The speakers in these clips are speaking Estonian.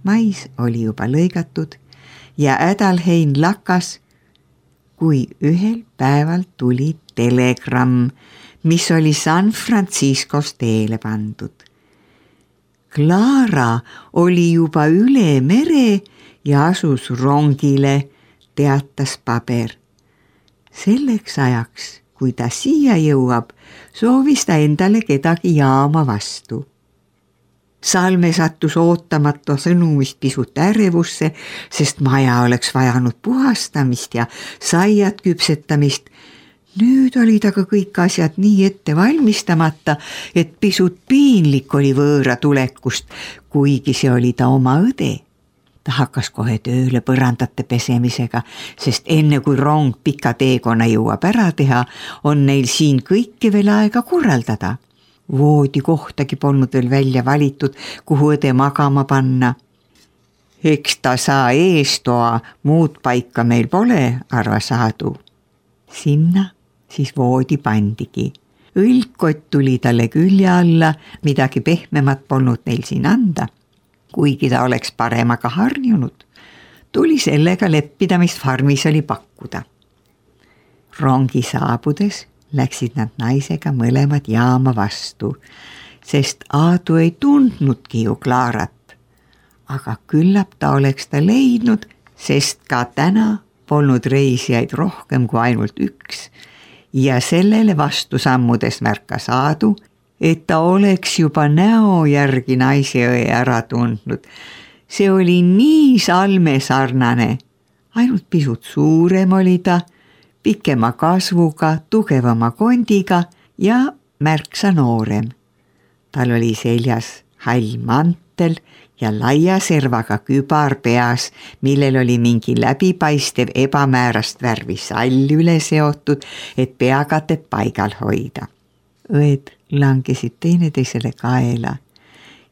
Mais oli juba lõigatud ja Ädalhein lakkas, kui ühel päeval tuli telegramm, mis oli San Franciscos teele pandud. Clara oli juba üle mere ja asus rongile, teatas paber. Selleks ajaks, kui ta siia jõuab, soovis ta endale kedagi jaama vastu. Salme sattus ootamata sõnumist pisut ärevusse, sest maja oleks vajanud puhastamist ja saiad küpsetamist. Nüüd olid aga kõik asjad nii ette valmistamata, et pisut piinlik oli võõra tulekust, kuigi see oli ta oma õde. Ta hakkas kohe tööle põrandate pesemisega, sest enne kui rong pika teekonna jõuab ära teha, on neil siin kõike veel aega korraldada. Voodi kohtagi polnud veel välja valitud, kuhu õde magama panna. Eks ta saa eestoa, muud paika meil pole, arvas Aadu. Sinna siis voodi pandigi. Õlgkott tuli talle külje alla, midagi pehmemat polnud neil siin anda. Kuigi ta oleks paremaga harjunud, tuli sellega leppida, mis farmis oli pakkuda. Rongi saabudes läksid nad naisega mõlemad jaama vastu, sest Aadu ei tundnudki ju Clarat. Aga küllap ta oleks ta leidnud, sest ka täna polnud reisijaid rohkem kui ainult üks ja sellele vastu sammudes märkas Aadu, et ta oleks juba näo järgi naiseõe ära tundnud. See oli nii Salme sarnane, ainult pisut suurem oli ta, pikema kasvuga, tugevama kondiga ja märksa noorem. Tal oli seljas hall mantel ja laia servaga kübar peas, millel oli mingi läbipaistev ebamäärast värvi sall üle seotud, et peakatet paigal hoida. Õed langesid teineteisele kaela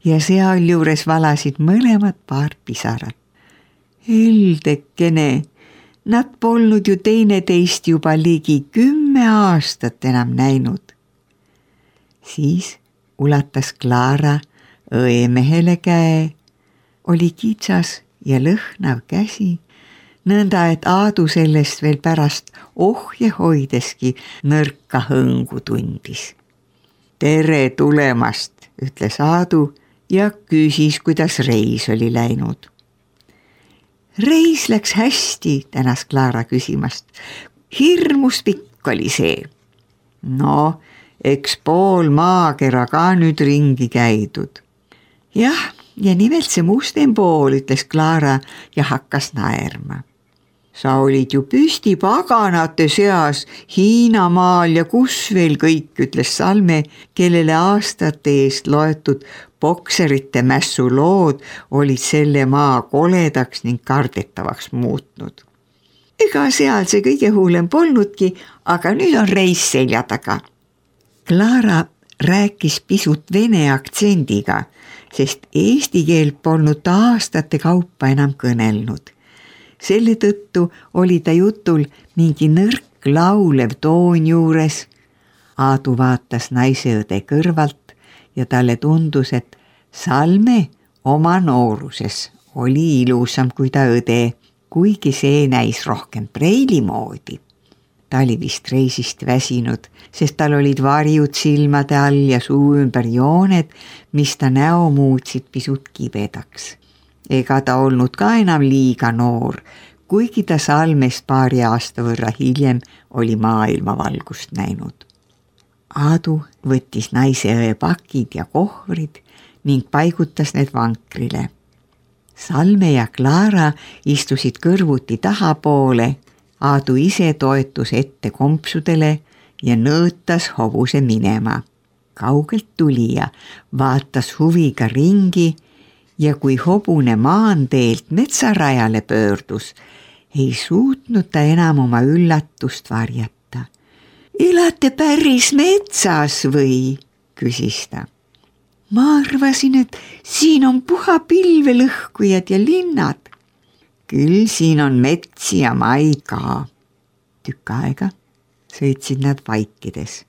ja sealjuures valasid mõlemad paar pisarat. Heldekene, nad polnud ju teineteist juba ligi 10 aastat enam näinud. Siis ulatas Clara õemehele käe, oli kitsas ja lõhnav käsi, nõnda et Aadu sellest veel pärast ohje hoideski nõrka hõngu tundis. Tere tulemast, ütles Aadu ja küsis, kuidas reis oli läinud. Reis läks hästi, tänas Clara küsimast. Hirmus pikk oli see. No, eks pool maakera ka nüüd ringi käidud. Jah, ja nimelt see mustem pool, ütles Clara ja hakkas naerma. Sa olid ju püsti paganate seas Hiinamaal ja kus veel kõik, ütles Salme, kellele aastate eest loetud bokserite mässu lood olid selle maa koledaks ning kardetavaks muutnud. Ega seal see kõige hullem polnudki, aga nüüd on reis selja taga. Clara rääkis pisut vene aktsendiga, sest eesti keelt polnud ta aastate kaupa enam kõnelnud. Selle tõttu oli ta jutul mingi nõrk laulev toon juures. Aadu vaatas naiseõde kõrvalt ja talle tundus, et Salme oma nooruses oli ilusam kui ta õde, kuigi see näis rohkem preili moodi. Ta oli vist reisist väsinud, sest tal olid varjud silmade all ja suu ümber jooned, mis ta näo muutsid pisut kibedaks. Ega ta olnud ka enam liiga noor, kuigi ta Salmest paari aasta võrra hiljem oli maailmavalgust näinud. Aadu võttis naiseõe pakid ja kohvrid ning paigutas need vankrile. Salme ja Clara istusid kõrvuti tahapoole, Aadu ise toetus ette kompsudele ja nõõtas hobuse minema. Kaugelt tulija vaatas huviga ringi ja kui hobune maanteelt metsarajale pöördus, ei suutnud ta enam oma üllatust varjata. Elate päris metsas või? Küsis ta. Ma arvasin, et siin on puhapilvelõhkujad ja linnad. Küll siin on metsi ja maid ka. Tükk aega sõitsid nad vaikides.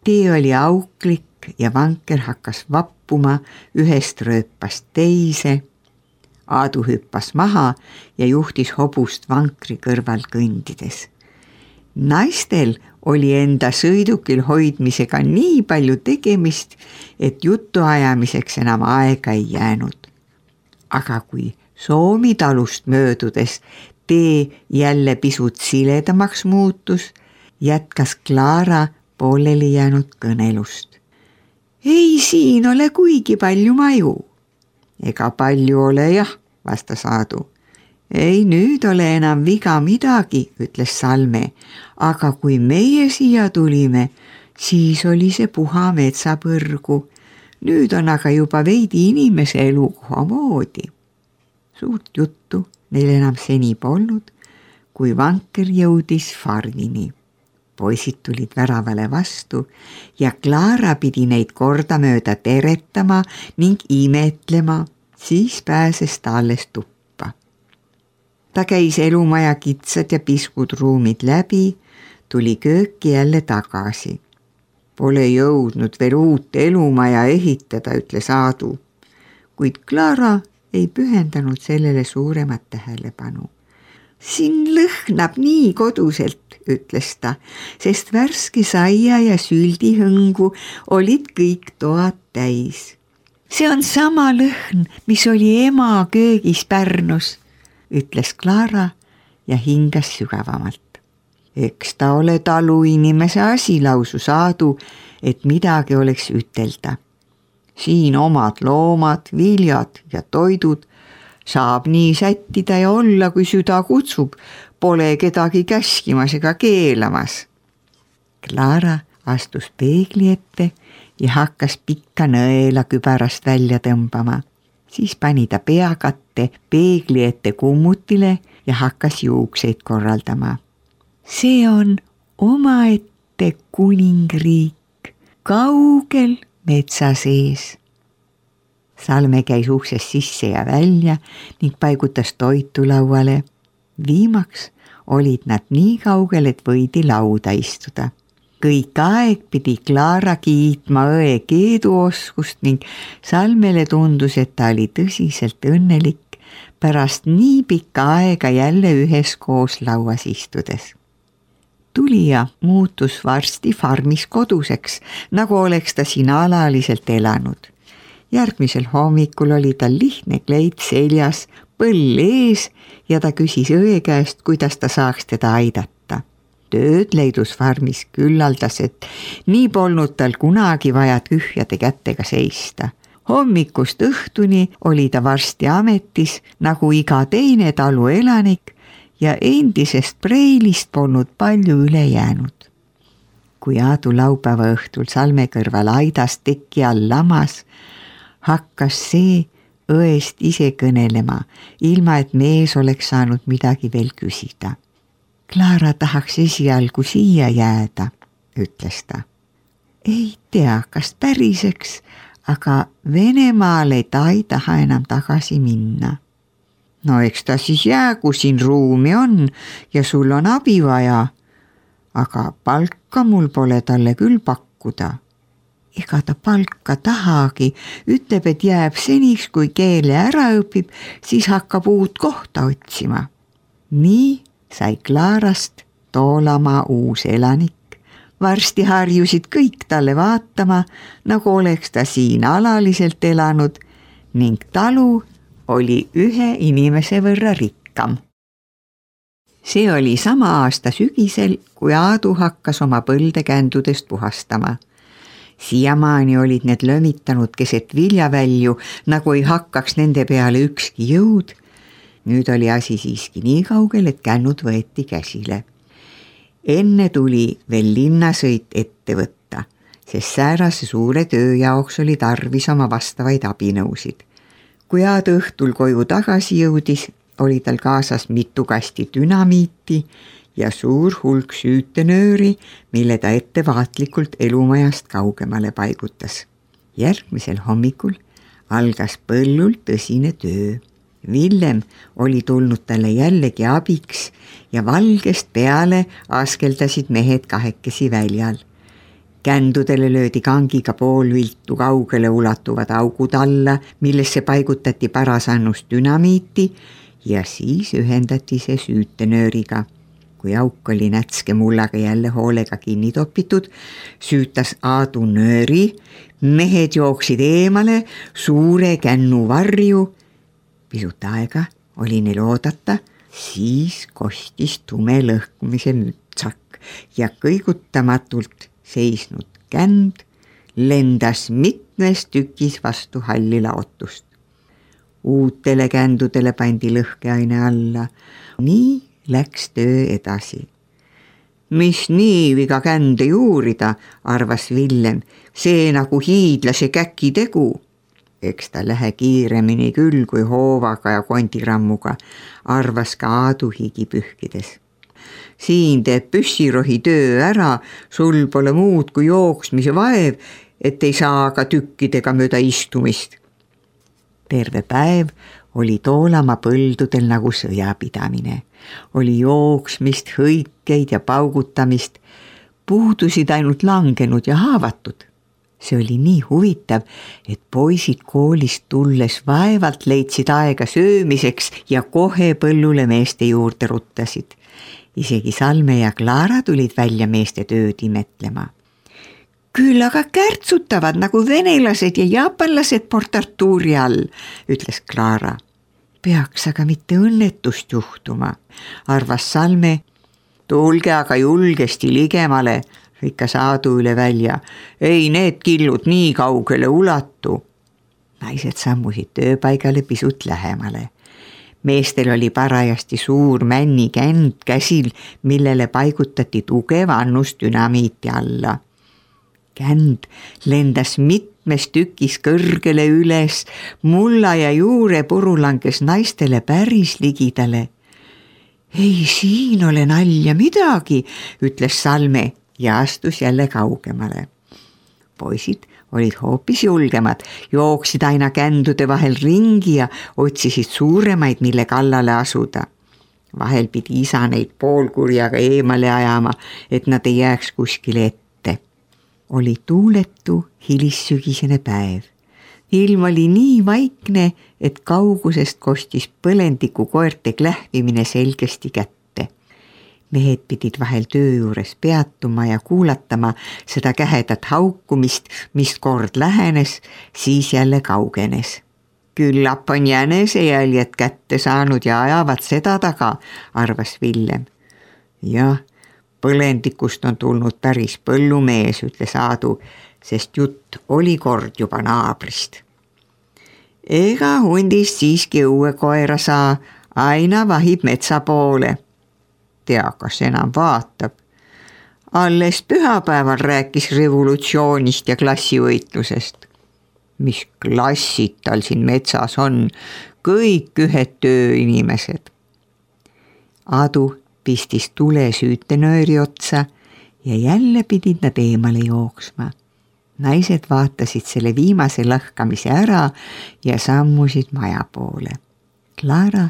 Tee oli auklik ja vanker hakkas vappuma ühest rööpast teise. Aadu hüppas maha ja juhtis hobust vankri kõrval kõndides. Naistel oli enda sõidukil hoidmisega nii palju tegemist, et jutuajamiseks enam aega ei jäänud. Aga kui Soomi talust möödudes tee jälle pisut siledamaks muutus, jätkas Klaara pooleli jäänud kõnelust. Ei siin ole kuigi palju maju. Ega palju ole jah, vastas Aadu. Ei nüüd ole enam viga midagi, ütles Salme, aga kui meie siia tulime, siis oli see puha metsapõrgu. Nüüd on aga juba veidi inimese elukoha moodi. Suurt juttu neil enam seni polnud, kui vanker jõudis farmini. Poisid tulid väravale vastu ja Klaara pidi neid kordamööda teretama ning imetlema, siis pääses ta alles tuppa. Ta käis elumaja kitsad ja piskud ruumid läbi, tuli kööki jälle tagasi. Pole jõudnud veel uut elumaja ehitada, ütles Aadu, kuid Klaara ei pühendanud sellele suuremat tähelepanu. Siin lõhnab nii koduselt, ütles ta, sest värske saia ja süldihõngu olid kõik toad täis. See on sama lõhn, mis oli ema köögis Pärnus, ütles Klaara ja hingas sügavamalt. Eks ta ole taluinimese asi, lausus Aadu, et midagi oleks ütelda. Siin omad loomad, viljad ja toidud saab nii sättida ja olla, kui süda kutsub, pole kedagi käskimas ega keelamas. Klaara astus peegli ette ja hakkas pikka nõela kübarast välja tõmbama. Siis pani ta peakatte peegli ette kummutile ja hakkas juukseid korraldama. See on omaette kuningriik, kaugel metsa sees. Salme käis uksest sisse ja välja ning paigutas toitu lauale. Viimaks olid nad nii kaugel, et võidi lauda istuda. Kõik aeg pidi Klaara kiitma õe keeduoskust ning Salmele tundus, et ta oli tõsiselt õnnelik pärast nii pikka aega jälle üheskoos lauas istudes. Tulija muutus varsti farmis koduseks, nagu oleks ta siin alaliselt elanud. Järgmisel hommikul oli tal lihtne kleit seljas, põll ees ja ta küsis õe käest, kuidas ta saaks teda aidata. Tööd leidus farmis küllaldas, et nii polnud tal kunagi vaja tühjade kätega seista. Hommikust õhtuni oli ta varsti ametis nagu iga teine talu elanik ja endisest preilist polnud palju üle jäänud. Kui Aadu laupäeva õhtul Salme kõrval aidas teki all lamas, hakkas see õest ise kõnelema, ilma et mees oleks saanud midagi veel küsida. Klaara tahaks esialgu siia jääda, ütles ta. Ei tea, kas päriseks, aga Venemaale ta ei taha enam tagasi minna. No eks ta siis jää, kui siin ruumi on ja sul on abi vaja, aga palka mul pole talle küll pakkuda. Ega ta palka tahagi, ütleb, et jääb seniks, kui keele ära õpib, siis hakkab uut kohta otsima. Nii sai Klaarast Toolamaa uus elanik. Varsti harjusid kõik talle vaatama, nagu oleks ta siin alaliselt elanud ning talu oli ühe inimese võrra rikkam. See oli sama aasta sügisel, kui Aadu hakkas oma põlde kändudest puhastama. Siiamaani olid need lömitanud keset viljavälju, nagu ei hakkaks nende peale ükski jõud. Nüüd oli asi siiski nii kaugel, et kännud võeti käsile. Enne tuli veel linnasõit ette võtta, sest säärase suure töö jaoks oli tarvis oma vastavaid abinõusid. Kui Aadu õhtul koju tagasi jõudis, oli tal kaasas mitu kasti dünamiiti ja suur hulk süütenööri, mille ta ettevaatlikult elumajast kaugemale paigutas. Järgmisel hommikul algas põllul tõsine töö. Villem oli tulnud talle jällegi abiks ja valgest peale askeldasid mehed kahekesi väljal. Kändudele löödi kangiga poolviltu kaugele ulatuvad augud alla, millesse paigutati parasannust dünamiiti ja siis ühendati see süütenööriga. Kui auk oli nätske mullaga jälle hoolega kinni topitud, süütas Aadu nööri, mehed jooksid eemale suure kännu varju. Pisut aega oli neil oodata, siis kostis tume lõhkumise mütsak ja kõigutamatult seisnud känd lendas mitmes tükis vastu halli laotust. Uutele kändudele pandi lõhkeaine alla. Nii läks töö edasi. Mis nii viga kände juurida, arvas Villem, see nagu hiidlase käki tegu. Eks ta lähe kiiremini küll kui hoovaga ja kondirammuga, arvas ka Aadu higi pühkides. Siin teeb püssirohi töö ära, sul pole muud kui jooksmise vaev, et ei saa ka tükkidega mööda istumist. Terve päev oli Toolamaa põldudel nagu sõjapidamine. Oli jooksmist, hõikeid ja paugutamist, puudusid ainult langenud ja haavatud. See oli nii huvitav, et poisid koolist tulles vaevalt leidsid aega söömiseks ja kohe põllule meeste juurde ruttasid. Isegi Salme ja Klaara tulid välja meeste tööd imetlema. Küll aga kärtsutavad nagu venelased ja jaapanlased Port Arturi all, ütles Klaara. Peaks aga mitte õnnetust juhtuma, arvas Salme. Tulge aga julgesti ligemale, rikkas Aadu üle välja. Ei need killud nii kaugele ulatu. Naised sammusid tööpaigale pisut lähemale. Meestel oli parajasti suur männikänd käsil, millele paigutati tugev annus dünamiiti alla. Känd lendas mitmes tükis kõrgele üles, mulla ja juurepuru langes naistele päris ligidale. Ei siin ole nalja midagi, ütles Salme ja astus jälle kaugemale. Poisid olid hoopis julgemad, jooksid aina kändude vahel ringi ja otsisid suuremaid, mille kallale asuda. Vahel pidi isa neid poolkurjaga eemale ajama, et nad ei jääks kuskile ette. Oli tuuletu hilissügisene päev. Ilm oli nii vaikne, et kaugusest kostis põlendiku koerte klähvimine selgesti kätte. Mehed pidid vahel töö juures peatuma ja kuulatama seda kähedat haukumist, mis kord lähenes, siis jälle kaugenes. Küllap on jänesejäljed kätte saanud ja ajavad seda taga, arvas Villem. Jah, põlendikust on tulnud päris põllumees, ütles Aadu, sest jutt oli kord juba naabrist. Ega hundist siiski õue koera saa, aina vahib metsa poole. Tea, kas enam vaatab. Alles pühapäeval rääkis revolutsioonist ja klassivõitlusest. Mis klassid tal siin metsas on, kõik ühed tööinimesed. Aadu pistis tule süütenööri otsa ja jälle pidid nad eemale jooksma. Naised vaatasid selle viimase lõhkamise ära ja sammusid maja poole. Klaara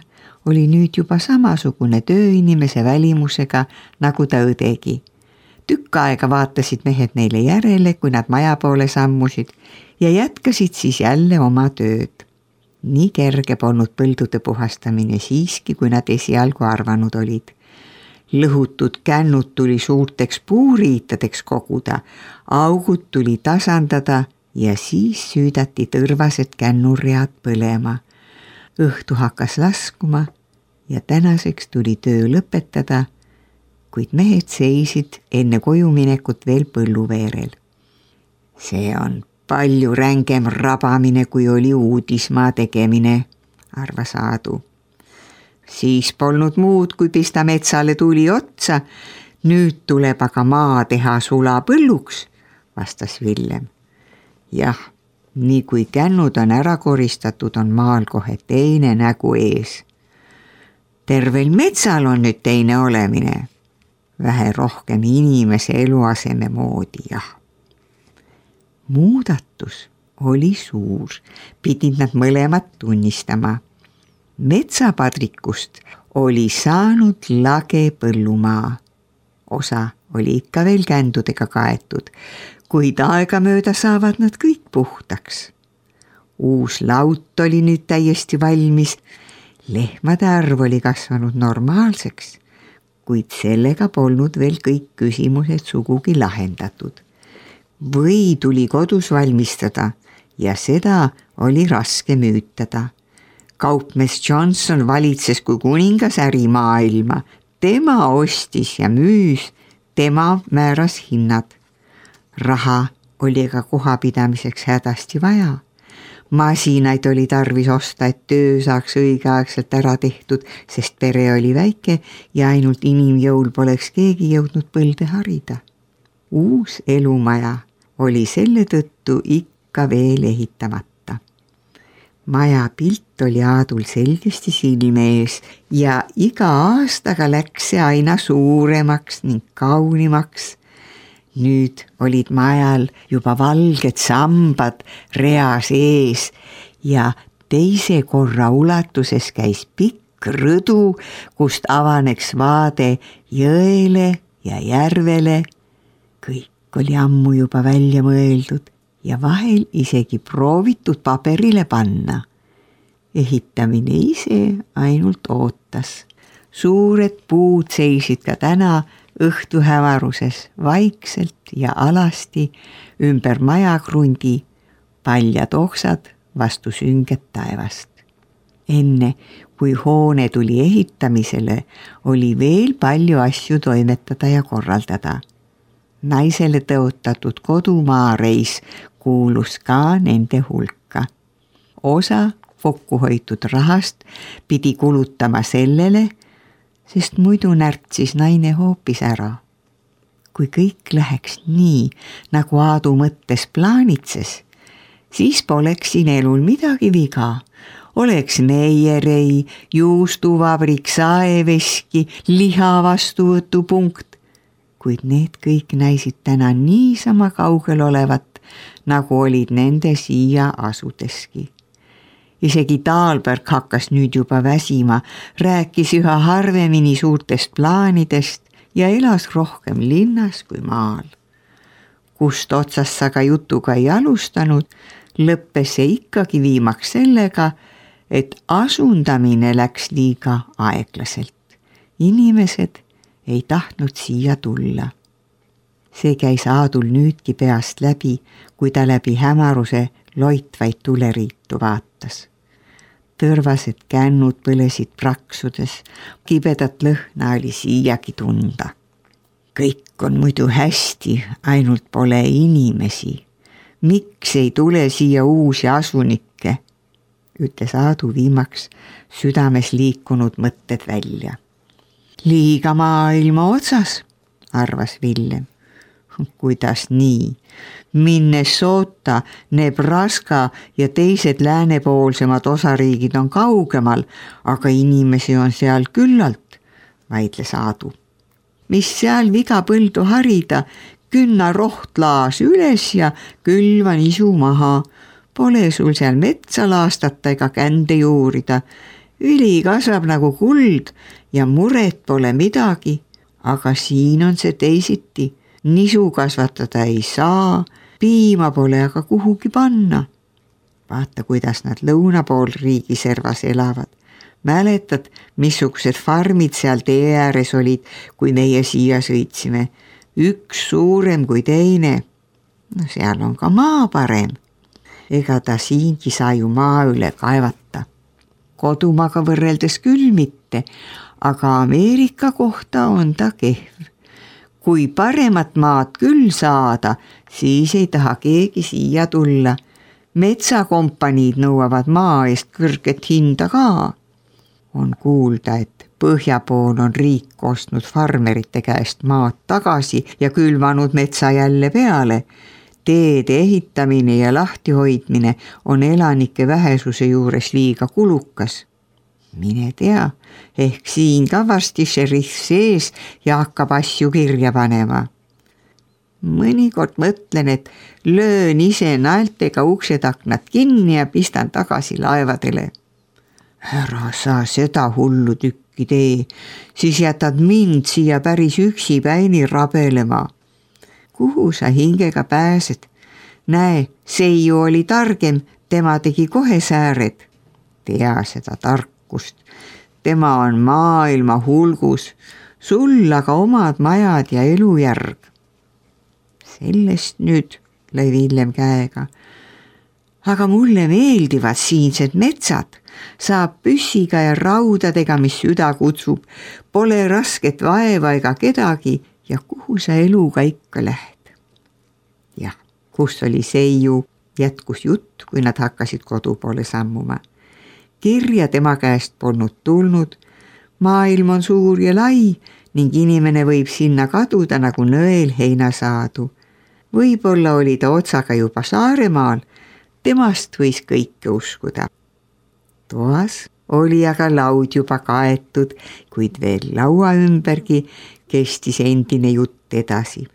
oli nüüd juba samasugune tööinimese välimusega, nagu ta õdegi. Tükk aega vaatasid mehed neile järele, kui nad maja poole sammusid ja jätkasid siis jälle oma tööd. Nii kerge polnud põldude puhastamine siiski, kui nad esialgu arvanud olid. Lõhutud kännud tuli suurteks puuriitadeks koguda, augud tuli tasandada ja siis süüdati tõrvased kännurread põlema. Õhtu hakkas laskuma ja tänaseks tuli töö lõpetada, kuid mehed seisid enne kojuminekut veel põlluveerel. See on palju rängem rabamine, kui oli uudismaa tegemine, arvas Aadu. Siis polnud muud, kui pista metsale tuli otsa. Nüüd tuleb aga maa teha sulapõlluks, vastas Villem. Jah, nii kui kännud on ära koristatud, on maal kohe teine nägu ees. Tervel metsal on nüüd teine olemine. Vähe rohkem inimese eluaseme moodi, jah. Muudatus oli suur, pidid nad mõlemad tunnistama. Metsapadrikust oli saanud lage põllumaa. Osa oli ikka veel kändudega kaetud, kuid aegamööda saavad nad kõik puhtaks. Uus laut oli nüüd täiesti valmis, lehmade arv oli kasvanud normaalseks, kuid sellega polnud veel kõik küsimused sugugi lahendatud. Või tuli kodus valmistada ja seda oli raske müütada. Kaupmees Johnson valitses kui kuningas ärimaailma, tema ostis ja müüs, tema määras hinnad. Raha oli ka kohapidamiseks hädasti vaja. Masinaid oli tarvis osta, et töö saaks õigeaegselt ära tehtud, sest pere oli väike ja ainult inimjõul poleks keegi jõudnud põlde harida. Uus elumaja oli selle tõttu ikka veel ehitamata. Maja pilt oli Aadul selgesti silme ees ja iga aastaga läks see aina suuremaks ning kaunimaks. Nüüd olid majal juba valged sambad reas ees ja teise korra ulatuses käis pikk rõdu, kust avaneks vaade jõele ja järvele. Kõik oli ammu juba välja mõeldud ja vahel isegi proovitud paberile panna. Ehitamine ise ainult ootas. Suured puud seisid ka täna õhtuhävaruses vaikselt ja alasti ümber majakrundi, paljad oksad vastu sünget taevast. Enne kui hoone tuli ehitamisele, oli veel palju asju toimetada ja korraldada. Naisele tõotatud kodumaareis kuulus ka nende hulka. Osa kokkuhoitud rahast pidi kulutama sellele, sest muidu närtsis naine hoopis ära. Kui kõik läheks nii, nagu Aadu mõttes plaanitses, siis poleks siin elul midagi viga. Oleks meierei, juustuvabrik, saeveski, liha vastuvõtupunkt, kuid need kõik näisid täna niisama kaugel olevat, nagu olid nende siia asudeski. Isegi Taalberg hakkas nüüd juba väsima, rääkis üha harvemini suurtest plaanidest ja elas rohkem linnas kui maal. Kust otsast sa ka jutuga ei alustanud, lõppes see ikkagi viimaks sellega, et asundamine läks liiga aeglaselt. Inimesed ei tahtnud siia tulla. See käis Aadul nüüdki peast läbi, kui ta läbi hämaruse loitvaid tuleriitu vaatas. Tõrvased kännud põlesid praksudes, kibedat lõhna oli siiagi tunda. Kõik on muidu hästi, ainult pole inimesi. Miks ei tule siia uusi asunikke? Ütles Aadu viimaks südames liikunud mõtted välja. Liiga maailma otsas, arvas Villem. Kuidas nii? Minnesota, Nebraska ja teised läänepoolsemad osariigid on kaugemal, aga inimesi on seal küllalt, vaidles Aadu. Mis seal viga põldu harida, künna rohtlaas üles ja külva nisu maha. Pole sul seal metsa laastata ega kände juurida. Üli kasvab nagu kuld ja muret pole midagi, aga siin on see teisiti. Nisu kasvatada ei saa, piima pole aga kuhugi panna. Vaata, kuidas nad lõuna pool riigiservas elavad. Mäletad, missugused farmid seal tee ääres olid, kui meie siia sõitsime. Üks suurem kui teine. No seal on ka maa parem. Ega ta siingi saa ju maa üle kaevata. Kodumaaga võrreldes küll mitte, aga Ameerika kohta on ta kehv. Kui paremat maad küll saada, siis ei taha keegi siia tulla. Metsakompaniid nõuavad maa eest kõrget hinda ka. On kuulda, et põhja pool on riik ostnud farmerite käest maad tagasi ja külvanud metsa jälle peale. Teede ehitamine ja lahtihoidmine on elanike vähesuse juures liiga kulukas. Mine tea, ehk siin ka varsti šerif sees ja hakkab asju kirja panema. Mõnikord mõtlen, et löön ise naeltega uksed-aknad kinni ja pistan tagasi laevadele. Ära sa seda hullu tükki tee, siis jätad mind siia päris üksipäini rabelema. kuhu sa hingega pääsed? Näe, Seiu oli targem, tema tegi kohe sääred. Tea seda tarkust. Tema on maailma hulgus, sul aga omad majad ja elujärg. Sellest nüüd, lõi Villem käega. Aga mulle meeldivad siinsed metsad, saab püssiga ja raudadega, mis süda kutsub, pole rasket vaeva ega kedagi ja kuhu sa eluga ikka lähed. Jah, kus oli Seiu, jätkus jutt, kui nad hakkasid kodu poole sammuma. Kirja tema käest polnud tulnud, maailm on suur ja lai ning inimene võib sinna kaduda nagu nõel heinasaadu. Võib-olla oli ta otsaga juba Saaremaal, temast võis kõike uskuda. Toas oli aga laud juba kaetud, kuid veel laua ümbergi kestis endine jutt edasi.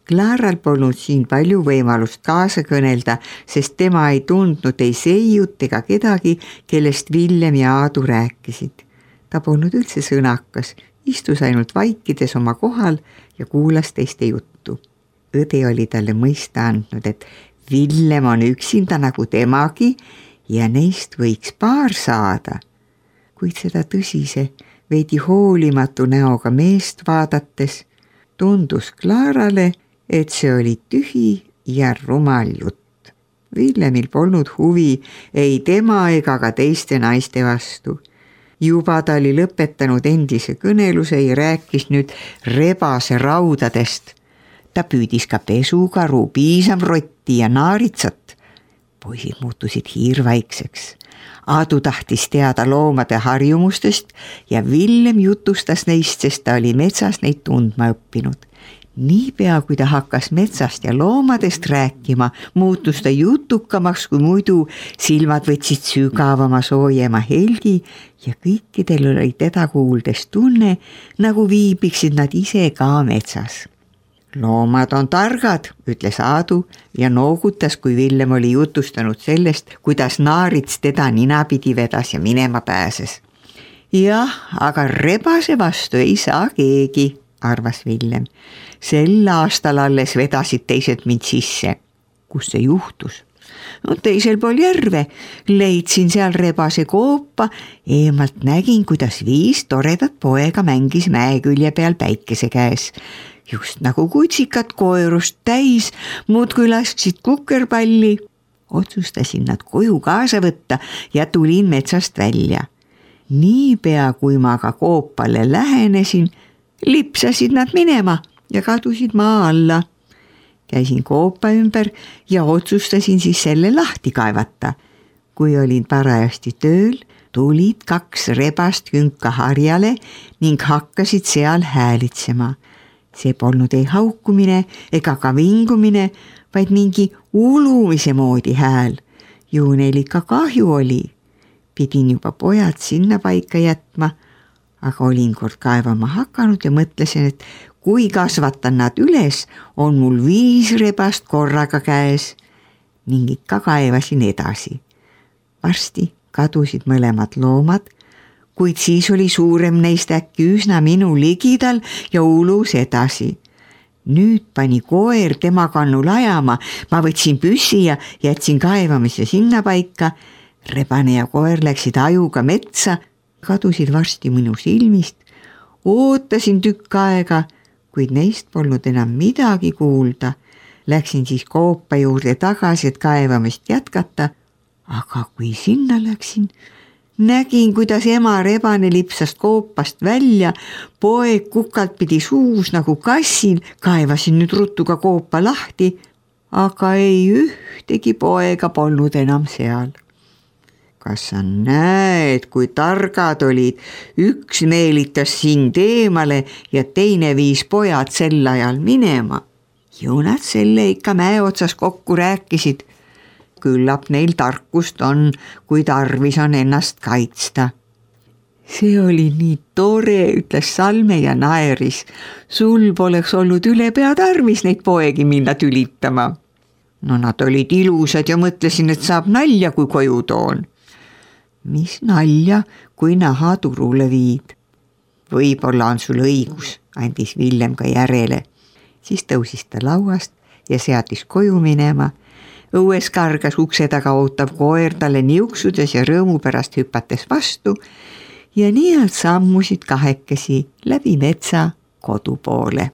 Klaaral polnud siin palju võimalust kaasa kõnelda, sest tema ei tundnud ei Seiut ega kedagi, kellest Villem ja Aadu rääkisid. Ta polnud üldse sõnakas, istus ainult vaikides oma kohal ja kuulas teiste juttu. Õde oli talle mõista andnud, et Villem on üksinda nagu temagi ja neist võiks paar saada. Kuid seda tõsise, veidi hoolimatu näoga meest vaadates tundus Klaarale, et see oli tühi ja rumal jutt. Villemil polnud huvi ei tema ega ka teiste naiste vastu. Juba ta oli lõpetanud endise kõneluse ja rääkis nüüd rebase raudadest. Ta püüdis ka pesukaru, piisamrotti ja naaritsat. Poisid muutusid hiirvaikseks. Aadu tahtis teada loomade harjumustest ja Villem jutustas neist, sest ta oli metsas neid tundma õppinud. Niipea, kui ta hakkas metsast ja loomadest rääkima, muutus ta jutukamaks kui muidu, silmad võtsid sügavama soojema helgi ja kõikidel oli teda kuuldes tunne, nagu viibiksid nad ise ka metsas. Loomad on targad, ütles Aadu ja noogutas, kui Villem oli jutustanud sellest, kuidas naarits teda ninapidi vedas ja minema pääses. Jah, aga rebase vastu ei saa keegi, arvas Villem. Sel aastal alles vedasid teised mind sisse. Kus see juhtus? No, teisel pool järve. Leidsin seal rebase koopa, eemalt nägin, kuidas 5 toredat poega mängis mäekülje peal päikese käes. Just nagu kutsikad koerust täis, muudkui lasksid kukerpalli. Otsustasin nad koju kaasa võtta ja tulin metsast välja. Niipea, kui ma ka koopale lähenesin, lipsasid nad minema ja kadusid maa alla. Käisin koopa ümber ja otsustasin siis selle lahti kaevata. Kui olin parajasti tööl, tulid 2 rebast künka harjale ning hakkasid seal häälitsema. See polnud ei haukumine ega ka vingumine, vaid mingi ulumise moodi hääl. Ju neil ikka kahju oli. Pidin juba pojad sinna paika jätma, aga olin kord kaevama hakanud ja mõtlesin, et kui kasvatan nad üles, on mul 5 rebast korraga käes. Ning ikka kaevasin edasi. Varsti kadusid mõlemad loomad, kuid siis oli suurem neist äkki üsna minu ligidal ja ulus edasi. Nüüd pani koer tema kannul ajama, ma võtsin püssi ja jätsin kaevamise sinna paika. Rebane ja koer läksid ajuga metsa, kadusid varsti minu silmist. Ootasin tükk aega, kuid neist polnud enam midagi kuulda. Läksin siis koopa juurde tagasi, et kaevamist jätkata, aga kui sinna läksin, nägin, kuidas ema rebane lipsas koopast välja, poeg kukalt pidi suus nagu kassil, kaevasin nüüd ruttu ka koopa lahti, aga ei ühtegi poega polnud enam seal. Kas sa näed, kui targad olid, üks meelitas sind eemale ja teine viis pojad sel ajal minema. Ju nad selle ikka mäe otsas kokku rääkisid. Küllap neil tarkust on, kui tarvis on ennast kaitsta. See oli nii tore, ütles Salme ja naeris. Sul poleks olnud ülepea tarvis neid poegi minna tülitama. No nad olid ilusad ja mõtlesin, et saab nalja, kui koju toon. Mis nalja, kui naha turule viid? Võib-olla on sul õigus, andis Villem ka järele. siis tõusis ta lauast ja seadis koju minema. Õues kargas ukse taga ootav koer talle niuksudes ja rõõmu pärast hüpates vastu ja nii nad sammusid kahekesi läbi metsa kodu poole.